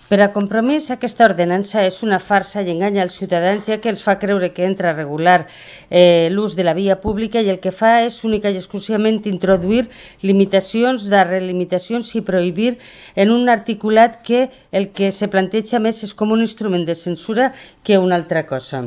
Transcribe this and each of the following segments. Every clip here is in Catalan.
Per a Compromís, aquesta ordenança és una farsa i enganya els ciutadans, ja que els fa creure que entra a regular l'ús de la via pública i el que fa és única i exclusivament introduir limitacions darrere limitacions i prohibir en un articulat que el que se planteja més és com un instrument de censura que una altra cosa.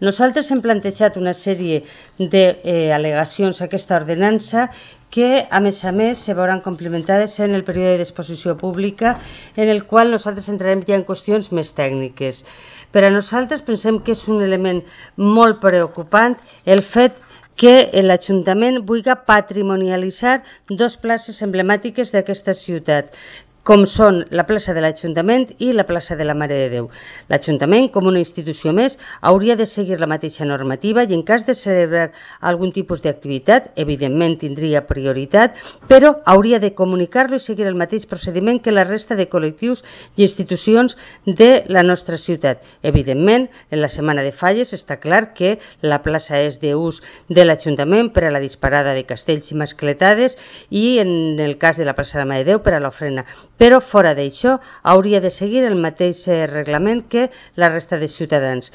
Nosaltres hem plantejat una sèrie d'al·legacions a aquesta ordenança que, a més, se veuran complementades en el període d'exposició pública, en el qual nosaltres entrarem ja en qüestions més tècniques. Per a nosaltres pensem que és un element molt preocupant el fet que l'Ajuntament vulgui patrimonialitzar dues places emblemàtiques d'aquesta ciutat, com són la plaça de l'Ajuntament i la plaça de la Mare de Déu. L'Ajuntament, com una institució més, hauria de seguir la mateixa normativa i en cas de celebrar algun tipus d'activitat, evidentment tindria prioritat, però hauria de comunicar-lo i seguir el mateix procediment que la resta de col·lectius i institucions de la nostra ciutat. Evidentment, en la Setmana de Falles està clar que la plaça és d'ús de l'Ajuntament per a la disparada de castells i mascletades i en el cas de la plaça de la Mare de Déu per a l'ofrena. Però fora d'això hauria de seguir el mateix reglament que la resta de ciutadans.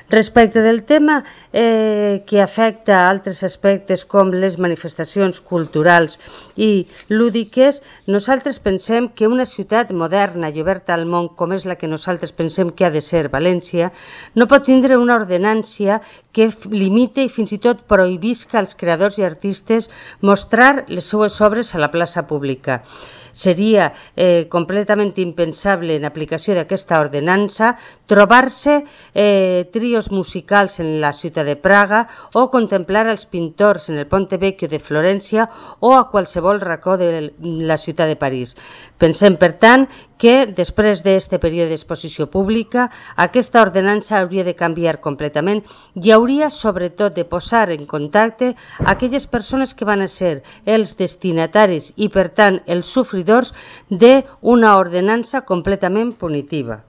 Respecte del tema que afecta altres aspectes com les manifestacions culturals i lúdiques, nosaltres pensem que una ciutat moderna i oberta al món com és la que nosaltres pensem que ha de ser València, no pot tindre una ordenància que limite i fins i tot prohibisca als creadors i artistes mostrar les seues obres a la plaça pública. Seria completament impensable en aplicació d'aquesta ordenança trobar-se trios musicals en la ciutat de Praga o contemplar els pintors en el Ponte Vecchio de Florència o a qualsevol racó de la ciutat de París. Pensem, per tant, que després d'aquest període d'exposició pública aquesta ordenança hauria de canviar completament i hauria sobretot de posar en contacte aquelles persones que van a ser els destinataris i per tant els sofridors d'una ordenança completament punitiva.